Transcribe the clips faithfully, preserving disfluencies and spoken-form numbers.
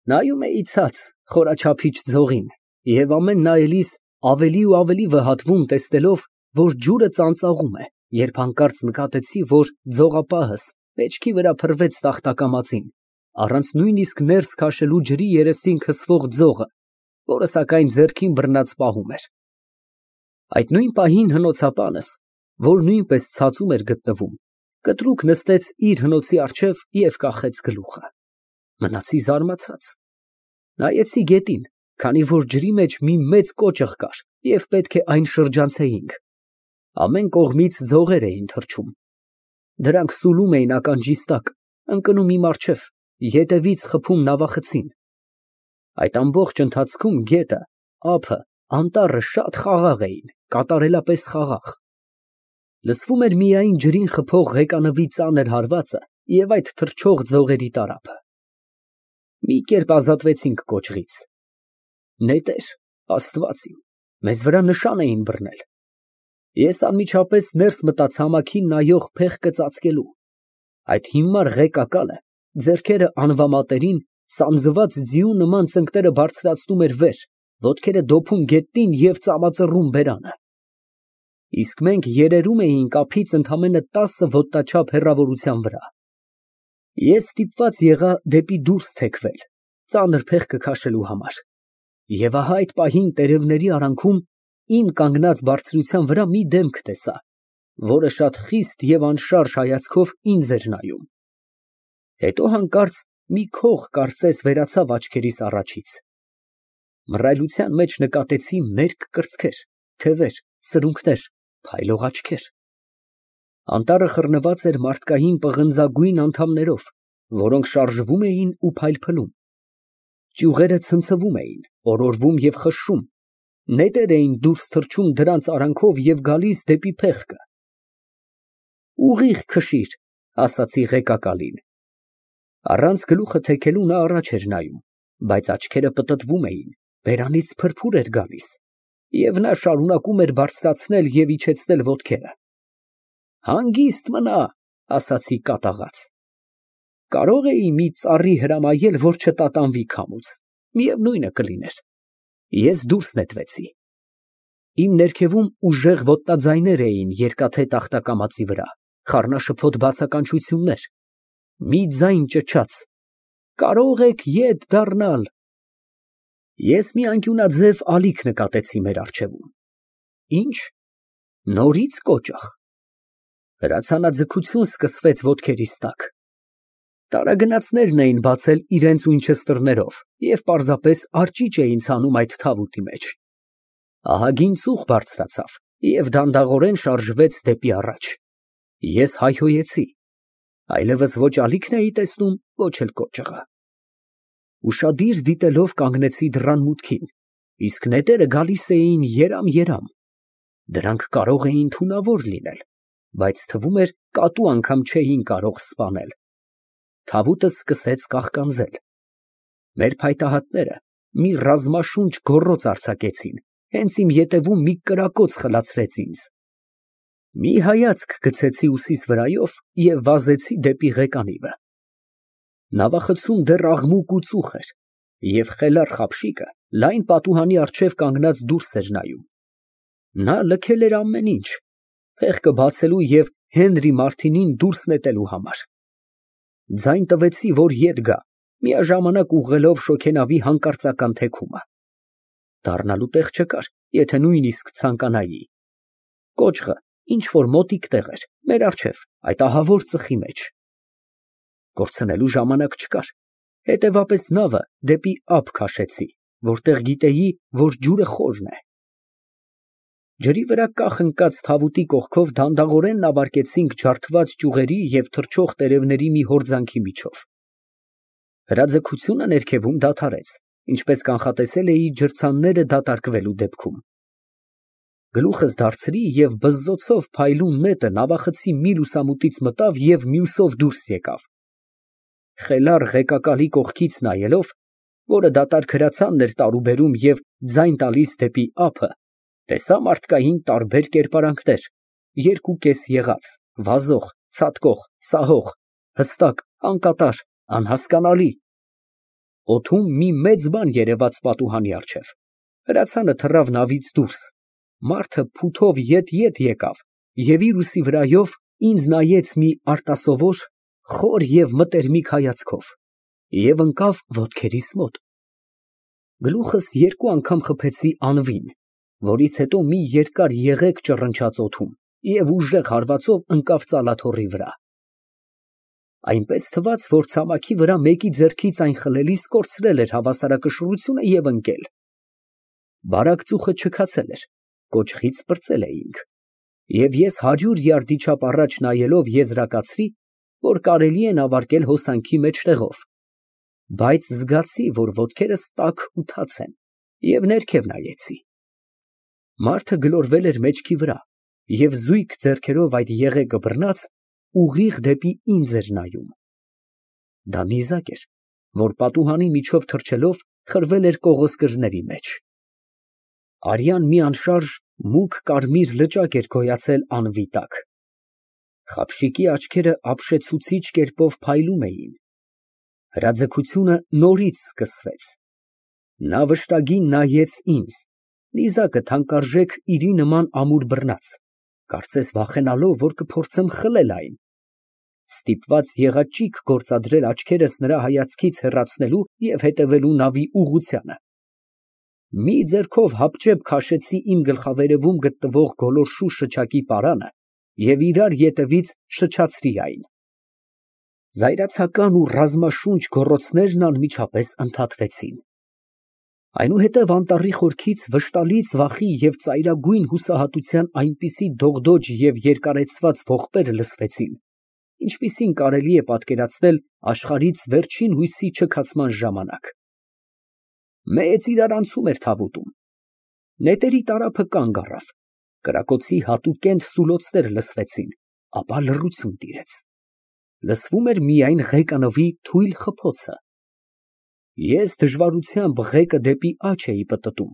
Նայում էի ցած, խորաչափիչ ձողին և ամեն նայելիս ավելի ու ավելի վհատվում, տեսնելով, որ ջուրը ծանծաղում է, երբ հանկարծ նկատեցի, որ ձողապահս մեջքի վրա փռվեց տախտակամածին, առանց նույնիսկ ներս քաշելու ջրի երեսին քսվող ձողը, որը սակայն ձեռքին բռնած պահում էր։ Այդ նույն պահին հնոցապանս, որ նույնպես ցածում էր գտնվում, կտրուկ նստեց իր հնոցի առջև և կախեց գլուխը։ Մնացի զարմացած։ Նայեցի գետին, քանի որ ջրի մեջ մի մեծ կոճղ կար և պետք է այն շրջանցեինք։ Ամեն կողմից ձողեր էին թռչում։ Դրանք սուլում էին ականջիս տակ, ընկնում իմ առջև, ետևից խփում նավախցին։ Այդ ամբողջ ընթացքում գետը, ափը, անտառը շատ խաղաղ էին, կատարելապես խաղաղ։ Լսվում էր միայն ջրին խփող ղեկանվի ծանր հարվածը և այդ թռչող ձողերի տարափը։ Մի կերպ ազատվեցինք կոճղից։ Նետեր, Աստված իմ, մեզ վրա նշան էին բռնել։ Ես անմիջապես ներս մտա ցամաքին նայող փեղկը ծածկելու։ Այդ հիմար ղեկակալը, ձեռքերը անվամատերին, սանձված ձիու նման ծնկները բարձրացնում էր վեր, ոտքերը դոփում գետնին և ծամածռում բերանը։ Իսկ մենք երերում էինք ափից ընդամենը տասը ոտնաչափ հեռավորության վրա։ Ես ստիպված եղա դեպի դուրս թեքվել, ծանր փեղկը քաշելու համար, և ահա այդ պահին տերևների արանքում իմ կանգնած բարձրության վրա մի դեմք տեսա, որը շատ խիստ և անշարժ հայացքով ինձ էր նայում։ Հետո հանկարծ մի քող կարծես վերացավ աչքերիս առաջից։ Մռայլության մեջ նկատեցի մերկ կրծքեր, թևեր, սրունքներ, փայլող աչքեր։ Անտառը խռնված էր մարդկային պղնձագույն անդամներով, որոնք շարժվում էին ու փայլփլում։ Ճյուղերը ցնցվում էին, օրորվում և խշշում, նետեր էին դուրս թռչում դրանց արանքով և գալիս դեպի փեղկը։ Ուղիղ քշիր, ասացի ղեկակալին։ Առանց գլուխը թեքելու նա առաջ էր նայում, բայց աչքերը պտտվում էին, բերանից փրփուր էր գալիս, և նա շարունակում էր բարձրացնել և իջեցնել ոտքերը։ Հանգիստ մնա, ասացի կատաղած։ Կարո՞ղ էի մի ծառի հրամայել, որ չտատանվի քամուց, միևնույնը կլիներ։ Ես դուրս նետվեցի։ Իմ ներքևում ուժեղ ոտնաձայներ էին երկաթե տախտակամածի վրա, խառնաշփոթ բացականչություններ։ Մի ձայն ճչաց. «Կարո՞ղ եք ետ դառնալ»։ Ես մի անկյունաձև ալիք նկատեցի մեր առջևում։ Ի՞նչ, նորից կոճղ։ Հրացանաձգություն սկսվեց ոտքերիս տակ։ Տարագնացներն էին բացել իրենց ուինչեսթերներով և պարզապես արջիճ էին ցանում այդ թավուտի մեջ։ Ահագին ծուխ բարձրացավ և դանդաղորեն շարժվեց դեպի առաջ։ Ես հայհոյեցի։ Այլևս ոչ ալիքն էի տեսնում, ոչ էլ կոճղը։ Ուշադիր դիտելով կանգնեցի դռան մուտքին, իսկ նետերը գալիս էին երամ֊երամ։ Դրանք կարող էին թունավոր լինել, բայց թվում էր կատու անգամ չէին կարող սպանել։ Թավուտը սկսեց կաղկանձել։ Մեր փայտահատները մի ռազմաշունչ գոռոծ արձակեցին, հենց իմ ետևում մի կրակոց խլացրեց ինձ։ Մի հայացք գցեցի ուսիս վրայով և վազեցի դեպի ղեկանիվը։ Նավախցում դեռ աղմուկ ու ծուխ էր, և խելառ խաբշիկը լայն պատուհանի առջև կանգնած դուրս էր նայում։ Նա լքել էր ամեն ինչ, փեղկը բացելու և Հենրի Մարտինին դուրս նետելու համար։ Ձայն տվեցի, որ ետ գա, միաժամանակ ուղղելով շոգենավի հանկարծական թեքումը։ Դառնալու տեղ չկար, եթե նույնիսկ ցանկանայի։ Կոճղը ինչ֊որ մոտիկ տեղ էր, մեր առջև, այդ ահավոր ծխի մեջ։ Կորցնելու ժամանակ չկար, հետևապես նավը դեպի ափ քաշեցի, որտեղ գիտեի, որ ջուրը խորն է։ Ջրի վրա կախ ընկած թավուտի կողքով դանդաղորեն նավարկեցինք ջարդված ճյուղերի և թռչող տերևների մի հորձանքի միջով։ Հրաձգությունը ներքևում դադարեց, ինչպես կանխատեսել էի ջրցանները դատարկվելու դեպքում։ Գլուխս դարձրի և բզզոցով փայլուն նետը նավախցի մի լուսամուտից մտավ և մյուսով դուրս եկավ։ Խելառ ղեկակալի կողքից նայելով, որը դատարկ հրացանն էր տարուբերում և ձայն տալիս դեպի ափը, տեսա մարդկային տարբեր կերպարանքներ, երկուկես եղած, վազող, ցատկող, սահող, հստակ, անկատար, անհասկանալի։ Օդում մի մեծ բան երևաց պատուհանի առջև։ Հրացանը թռավ նավից դուրս, մարդը փութով ետ֊ետ եկավ և իր ուսի վրայով ինձ նայեց մի արտասովոր, խոր և մտերմիկ հայացքով և ընկավ ոտքերիս մոտ։ Գլուխս երկու անգամ խփեցի անվին, որից հետո մի երկար եղեգ ճռնչաց օդում և ուժեղ հարվածով ընկավ ծալաթոռի վրա։ Այնպես թվաց, որ ցամաքի վրա մեկի ձեռքից այն խլելիս կորցրել էր հավասարակշռությունը և ընկել։ Բարակ ծուխը չքացել էր, կոճղից պրծել էինք, և ես հարյուր յարդի չափ առաջ նայելով եզրակացրի, որ կարելի է նավարկել հոսանքի մեջտեղով, բայց զգացի, որ ոտքերս տաք ու թաց են, և ներքև նայեցի։ Մարդը գլորվել էր մեջքի վրա և զույգ ձեռքերով այդ եղեգը բռնած ուղիղ դեպի ինձ էր նայում։ Դա նիզակ էր, որ պատուհանի միջով թռչելով խրվել էր կողոսկրների մեջ։ Արյան մի անշարժ մուգ կարմիր լճակ էր գոյացել անվի տակ։ Խապշիկի աչքերը ապշեցուցիչ կերպով փայլում էին։ Հրաձգությունը նորից սկսվեց։ Նա վշտագին նայեց ինձ, նիզակը թանկարժեք իրի նման ամուր բռնած, կարծես վախենալով, որ կփորձեմ խլել այն։ Ստիպված եղա ճիգ գործադրել աչքերս նրա հայացքից հեռացնելու և հետևելու նավի ուղղությանը։ Մի ձեռքով հապճեպ քաշեցի իմ գլխավերևում գտնվող գոլորշու շչակի պարանը և իրար ետևից շչացրի այն։ Զայրացական ու ռազմաշունչ գոռոցներն անմիջապես ընդհատվեցին։ Այնուհետև անտառի խորքից վշտալից վախի և ծայրագույն հուսահատության այնպիսի դողդոջ և երկարեցված ողբեր լսվեցին, ինչպիսին կարելի է պատկերացնել աշխարհից վերջին հույսի չքացման ժամանակ։ Մեծ իրարանցում էր թավուտում։ Նետերի տարափը կանգ առավ, կրակոցի հատուկենտ սուլոցներ լսվեցին, ապա լռություն տիրեց։ Լսվում էր միայն ղեկանվի թույլ խփոցը։ Ես դժվարությամբ ղեկը դեպի աջ էի պտտում,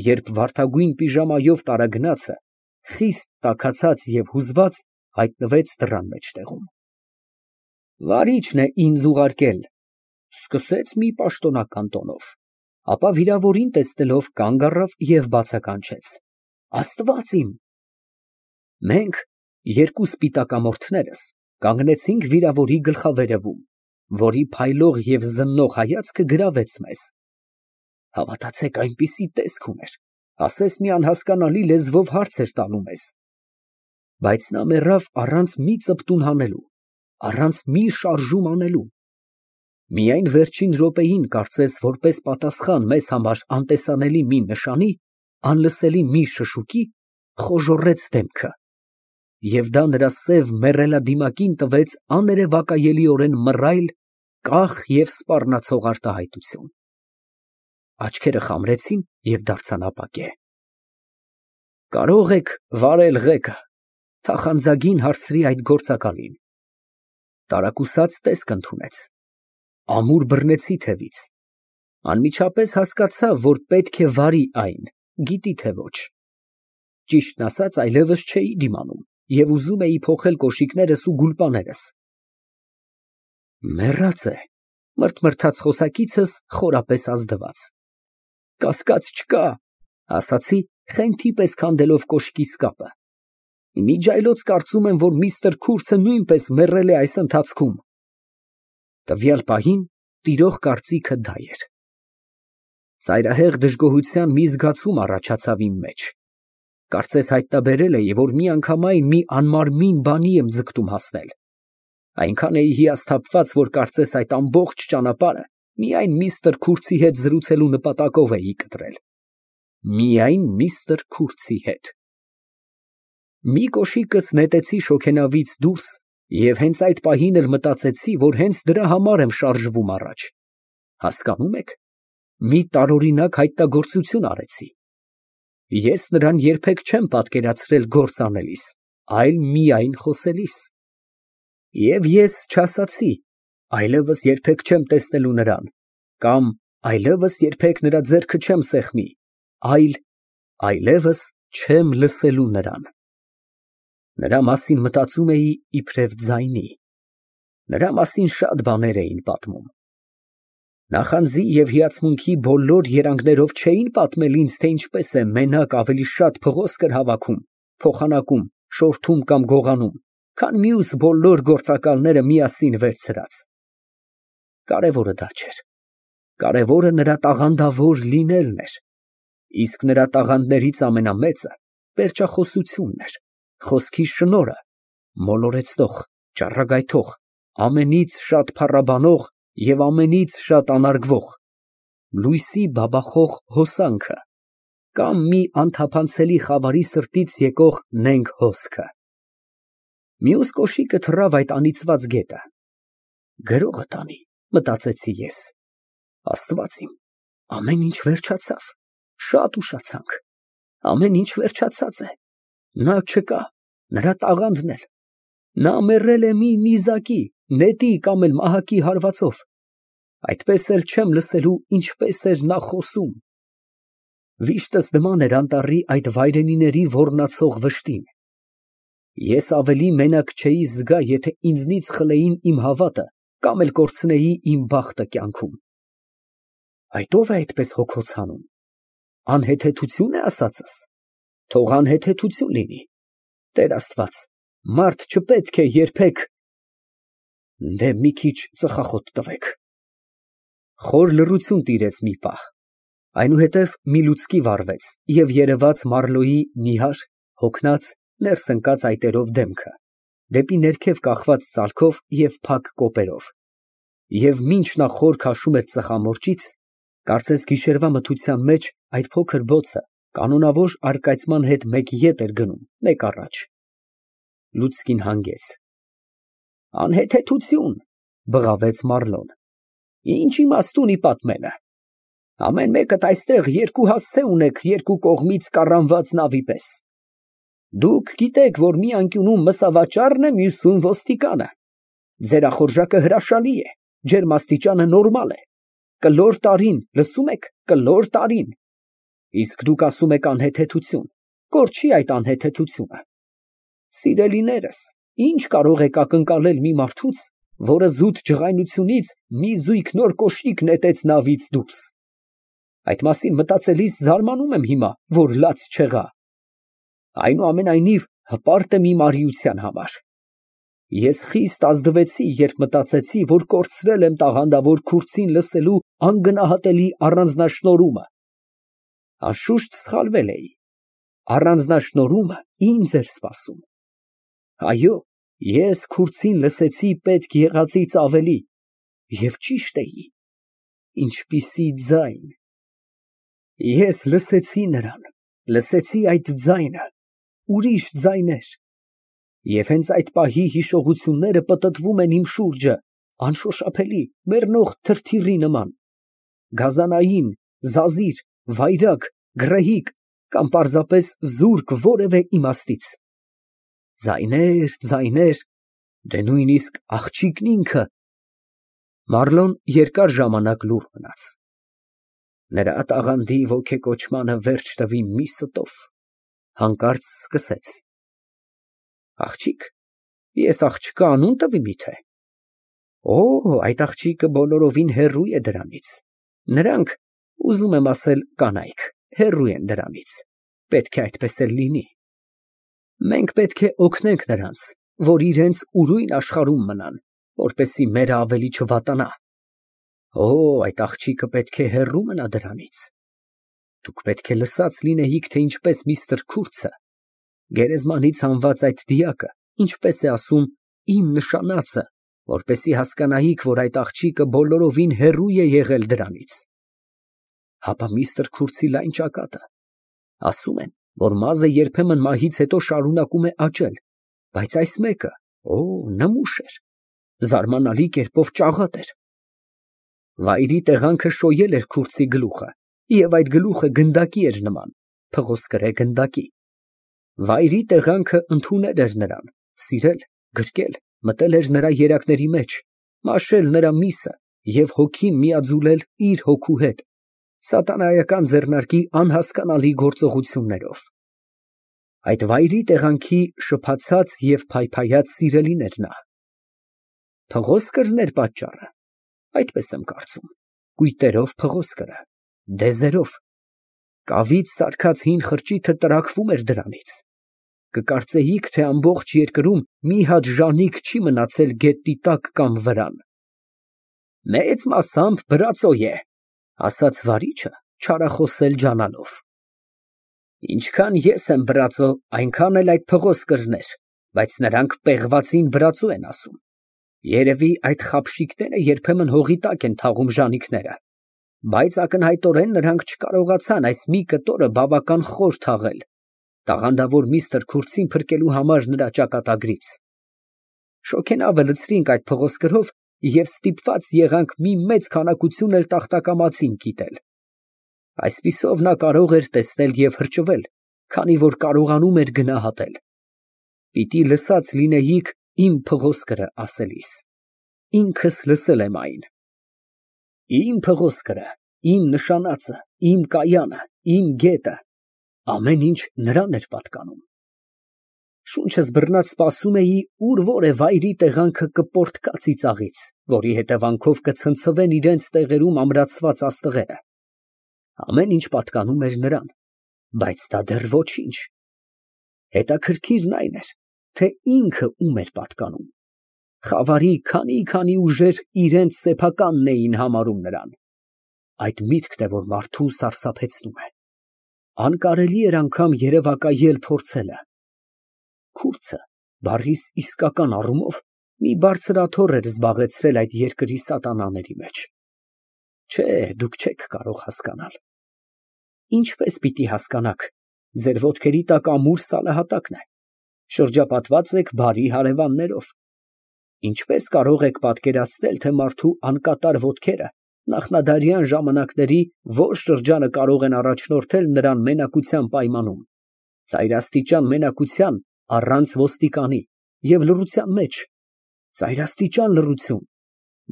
երբ վարդագույն պիժամայով տարագնացը, խիստ տաքացած և հուզված, հայտնվեց դռան մեջտեղում։ Վարիչն է ինձ ուղարկել, ֊ սկսեց մի պաշտոնական տոնով, ապա վիրավորին տեսնելով կանգ առավ և բացականչեց. Աստված իմ։ Մենք, երկու սպիտակամորթներս, կանգնեցինք վիրավորի գլխավերևում, որի փայլող և զննող հայացքը գրավեց մեզ։ Հավատացեք, այնպիսի տեսք ուներ, ասես մի անհասկանալի լեզվով հարց էր տալու մեզ։ Բայց նա մեռավ առանց մի ծպտուն հանելու, առանց մի շարժում անելու։ Միայն վերջին րոպեին, կարծես որպես պատասխան մեզ համար անտեսանելի մի նշանի, անլսելի մի շշուկի, խոժոռեց դեմքը, և դա նրա սև մեռելադիմակին տվեց աներևակայելիորեն մռայլ, կախ և սպառնացող արտահայտություն։ Աչքերը խամրեցին և դարձան ապակե։ Կարո՞ղ եք վարել ղեկը, ֊ թախանձագին հարցրի այդ գործակալին։ Տարակուսած տեսք ընդունեց։ Ամուր բռնեցի թևից։ Անմիջապես հասկացա, որ պետք է վարի այն, գիտի թե ոչ։ Ճիշտն ասած, այլևս չէի դիմանում և ուզում էի փոխել կոշիկներս ու գուլպաներս։ Մեռած է, ֊ մրթմրթաց խոսակիցս խորապես ազդված։ Կասկած չկա, ֊ ասացի, խենթի պես քանդելով կոշկիս կապը։ Մի ջայլոց կարծում եմ, որ միստր Քուրցը նույնպես մեռել է այս ընթացքում։ Տվյալ պահին տիրող կարծիքը դա էր։ Ծայրահեղ դժգոհության մի զգացում առաջացավ իմ մեջ։ Կարծես հայտնաբերել էի, որ միանգամայն մի անմարմին բանի եմ ձգտում հասնել։ Այնքան էի հիասթափված, որ կարծես այդ ամբողջ ճանապարհը միայն միստր Քուրցի հետ զրուցելու նպատակով էի կտրել։ Միայն միստր Քուրցի հետ։ Մի կոշիկս նետեցի շոգենավից դուրս և հենց այդ պահին էլ մտածեցի, որ հենց դրա համար եմ շարժվում առաջ։ Հասկանում եք, մի տարօրինակ հայտնագործություն արեցի։ Ես նրան երբեք չեմ պատկերացրել գործ անելիս, այլ միայն խոսելիս։ Եվ ես չասացի. այլևս երբեք չեմ տեսնելու նրան, կամ այլևս երբեք նրա ձեռքը չեմ սեղմի, այլ այլևս չեմ լսելու նրան։ Նրա մասին մտածում էի իբրև ձայնի։ Նրա մասին շատ բաներ էին պատմում։ Նախանձի և հիացմունքի բոլոր երանգներով չէին պատմել ինձ, թե ինչպես է մենակ ավելի շատ փղոսկր հավաքում, փոխանակում, շորթում կամ գողանում, քան մյուս բոլոր գործակալները միասին վերցրած։ Կարևորը դա չէր, կարևորը նրա տաղանդավոր լինելն էր, իսկ նրա տաղանդներից ամենամեծը պերճախոսությունն էր, խոսքի շնորհը, մոլորեցնող, ճառագայթող, ամենից շատ փառաբանող և ամենից շատ անարգվող, լույսի բաբախող հոսանքը կամ մի անթափանցելի խավարի սրտից եկող նենգ հոսքը։ Մյուս կոշիկը թռավ այդ անիծված գետը։ Գրողը տանի, մտածեցի ես, Աստված իմ, ամեն ինչ վերջացավ, շատ ուշացանք, ամեն ինչ վերջացած է, նա չկա, նրա տաղանդն էլ, նա մեռել է մի նիզակի, նետի կամ էլ մահակի հարվածով, այդպես էլ չեմ լսելու ինչպես էր նա խոսում։ Վիշտս նման էր անտառի այդ վայրենիների ոռնացող վշտին։ Ես ավելի մենակ չէի զգա, եթե ինձնից խլեին իմ հավատը կամ էլ կորցնեի իմ բախտը կյանքում։ Այդ ո՞վ է այդպես հոգոց հանում, անհեթեթությո՞ւն է ասածս, թող անհեթեթություն լինի, Տեր Աստված, մարդ չպետք է երբեք… Դե մի քիչ ծխախոտ տվեք։ Խոր լռություն տիրեց մի պահ, այնուհետև մի լուցկի վառվեց և երևաց Մարլոյի նիհար, հոգնած, ներս ընկած այտերով դեմքը, դեպի ներքև կախված ծալքով և փակ կոպերով, և մինչ նա խոր քաշում էր ծխամորճից, կարծես գիշերվա մթության մեջ այդ փոքր բոցը կանոնավոր առկայծման հետ մեկ ետ էր գնում, մեկ առաջ։ Լուցկին հանգեց։ Անհեթեթություն, բղավեց Մարլոն, ինչ իմաստունի պատմելը, ամեն մեկդ այստեղ երկու հասցե ունեք երկու կողմից կառանված նավի պես, դուք գիտեք, որ մի անկյունում մսավաճառն է, մյուսում ոստիկանը, ձեր ախորժակը հրաշալի է, ջերմաստիճանը նորմալ է, կլոր տարին, լսում եք, կլոր տարին, իսկ դուք ասում եք անհեթեթություն, կորչի այդ անհեթեթությունը։ Սիրելիներս, ինչ կարող եք ակնկալել մի մարդուց, որը զուտ ջղայնությունից մի զույգ նոր կոշիկ նետեց նավից դուրս։ Այդ մասին մտածելիս զարմանում եմ հիմա, որ լաց չեղա։ Այնուամենայնիվ, հպարտ եմ իմ արիության համար։ Ես խիստ ազդվեցի, երբ մտածեցի, որ կորցրել եմ տաղանդավոր քուրձին լսելու անգնահատելի առանձնաշնորհումը։ Անշուշտ սխալվել էի, առանձնաշնորհումը ինձ էր սպասում։ Այո, ես քուրձին լսեցի պետք եղածից ավելի, և ճիշտ էի, ինչպիսի ձայն… Ես լսեցի նրան, լսեցի այդ ձայնը, ուրիշ ձայներ… Եվ հենց այդ պահի հիշողությունները պտտվում են իմ շուրջը, անշոշափելի, մեռնող թրթիռի նման, գազանային, զազիր, վայրագ, գռեհիկ կամ պարզապես զուրկ որևէ իմաստից… Ձայներ, ձայներ, դե նույնիսկ աղջիկն ինքը… Մարլոն երկար ժամանակ լուռ մնաց։ Նրա տաղանդի ոգեկոչմանը վերջ տվի մի ստով, հանկարծ սկսեց. Աղջիկ, ես աղջկա անուն տվի միթե… Օ, այդ աղջիկը բոլորովին հեռու է դրանից, նրանք, ուզում եմ ասել, կանայք, հեռու են դրանից, պետք է այդպես էլ լինի։ Մենք պետք է օգնենք նրանց, որ իրենց ուրույն աշխարհում մնան, որպեսզի մերը ավելի չվատանա։ Օ, այդ աղջիկը պետք է հեռու մնա դրանից։ Դուք պետք է լսած լինեիք, թե ինչպես միստր Քուրցը, գերեզմանից հանված այդ դիակը, ինչպես է ասում, իմ նշանածը, որպեսզի հասկանայիք, որ այդ աղջիկը բոլորովին հեռու է եղել դրանից։ Հապա միստր Քուրցի լայն ճակատը… Ասում են, որ մազը երբեմն մահից հետո շարունակում է աճել, բայց այս մեկը, օ, նմուշ էր, զարմանալի կերպով ճաղատ էր։ Վայրի տեղանքը շոյել էր Քուրցի գլուխը, և այդ գլուխը գնդակի էր նման, փղոսկրե գնդակի։ Վայրի տեղանքը ընդունել էր նրան, սիրել, գրկել, մտել էր նրա երակների մեջ, մաշել նրա միսը և հոգին միաձուլել իր հոգու հետ, սատանայական ձեռնարկի անհասկանալի գործողություններով։ Այդ վայրի տեղանքի շփացած և փայփայած սիրելին էր նա։ Փղոսկրն էր պատճառը, այդպես եմ կարծում, կույտերով փղոսկրը, դեզերով, կավից սարքած հին խրճիթը տրաքվում էր դրանից։ Կկարծեիք, թե ամբողջ երկրում մի հատ ժանիք չի մնացել գետնի տակ կամ վրան։ Մեծ մասամբ բրածո է, ասաց վարիչը, չարախոսել ջանալով։ Ինչքան ես եմ բրածո, այնքան էլ այդ փղոսկրներ, բայց նրանք պեղվածին բրածո են ասում։ Երևի այդ խաբշիկները երբեմն հողի տակ են թաղում ժանիքները, բայց ակնհայտորեն նրանք չկարողացան այս մի կտորը բավական խոր թաղել, տաղանդավոր միստր Քուրթսին փրկելու համար նրա ճակատագրից։ Շոգենավը լցրինք այդ փղոսկրով և ստիպված եղանք մի մեծ քանակություն էլ տախտակամածին կիտել։ Այսպիսով նա կարող էր տեսնել և հրճվել, քանի որ կարողանում էր գնահատել։ Պիտի լսած լինեիք իմ փղոսկրը ասելիս։ Ինքս լսել եմ այն։ Իմ փղոսկրը, իմ նշանածը, իմ կայանը, իմ գետը, ամեն ինչ նրան էր պատկանում։ Շունչս բռնած սպասում էի, ուր որ է վայրի տեղանքը կպորտկա ծիծաղից, որի հետևանքով կցնցվեն իրենց տեղերում ամրացված աստղերը։ Ամեն ինչ պատկանում էր նրան, բայց դա դեռ ոչինչ։ Հետաքրքիրն այն էր, թե ինքը ում էր պատկանում։ Խավարի քանի֊քանի ուժեր իրենց սեփականն էին համարում նրան։ Այդ միտքն է, որ մարդուն սարսափեցնում է։ Անկարելի էր անգամ երևակայել փորձելը։ Քուրձը բառիս իսկական առումով մի բարձր աթոռ էր զբաղեցրել այդ երկրի սատանաների մեջ։ Չէ, դուք չեք կարող հասկանալ։ Ինչպես պիտի հասկանաք, ձեր ոտքերի տակ ամուր սալահատակն է, շրջապատված եք բարի հարևաններով։ Ինչպես կարող եք պատկերացնել, թե մարդու անկատար ոտքերը նախնադարյան ժամանակների որ շրջանը կարող են առաջնորդել նրան մենակության պայմանում, ծայրաստիճան մենակության առանց ոստիկանի և լռության մեջ, ծայրաստիճան լռություն,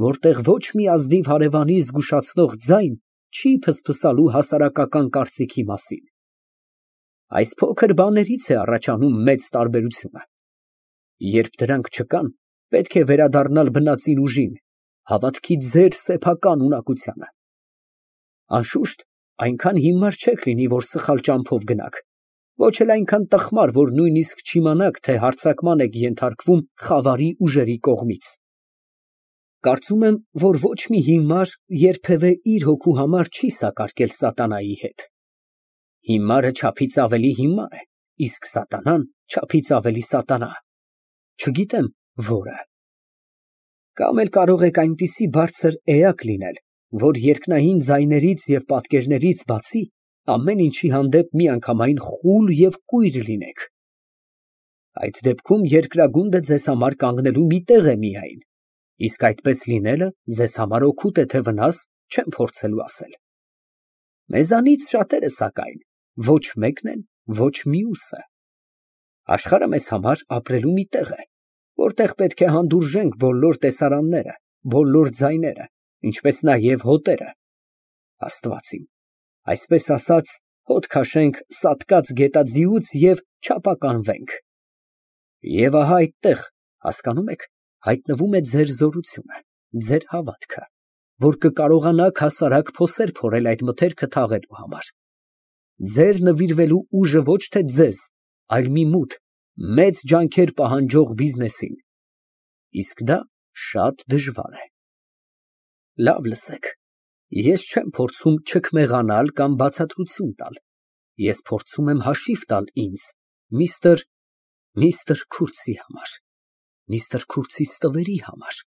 որտեղ ոչ մի ազնիվ հարևանի զգուշացնող ձայն չի ֆսֆսալու հասարակական կարծիքի մասին։ Այս փոքր բաներից է առաջանում մեծ տարբերությունը։ Երբ դրանք չկան, պետք է վերադառնալ բնածին ուժին, հավատքի ձեր սեփական ունակությանը։ Անշուշտ, այնքան հիմար չեք լինի, որ սխալ ճամփով գնաք, ոչ էլ այնքան տխմար, որ նույնիսկ չիմանաք, թե հարձակման եք ենթարկվում խավարի ուժերի կողմից։ Կարծում եմ, որ ոչ մի հիմար երբևէ իր հոգու համար չի սակարկել սատանայի հետ։ Հիմարը չափից ավելի հիմար է, իսկ սատանան չափից ավելի սատանա։ Չգիտեմ որը։ Կամ էլ կարող եք այնպիսի բարձր էակ լինել, որ երկնային ձայներից և պատկերներից բացի ամեն ինչի հանդեպ միանգամայն խուլ և կույր լինեք։ Այդ դեպքում երկրագունդը ձեզ համար կանգնելու մի տեղ է միայն, իսկ այդպես լինելը ձեզ համար օգուտ է, թե վնաս, չեմ փորձելու ասել։ Մեզանից շատերը, սակայն, ոչ մեկն են, ոչ մյուսը։ Աշխարհը մեզ համար ապրելու մի տեղ է, որտեղ պետք է հանդուրժենք բոլոր տեսարանները, բոլոր ձայները, ինչպես նաև հոտերը։ Աստված իմ, այսպես ասած, հոտ քաշենք սատկած գետաձիուց և չապականվենք։ Եվ ահա այդտեղ, հասկանում եք, հայտնվում է ձեր զորությունը, ձեր հավատքը, որ կկարողանաք հասարակ փոսեր փորել այդ մթերքը թաղելու համար։ Ձեր նվիրվելու ուժը ոչ թե ձեզ, այլ մի մութ, մեծ ջանքեր պահանջող բիզնեսին։ Իսկ դա շատ դժվար է։ Լավ լսեք, ես չեմ փորձում չքմեղանալ կամ բացատրություն տալ, ես փորձում եմ հաշիվ տալ ինձ, միստր… միստր Քուրթսի համար, միստր Քուրթսի ստվերի համար։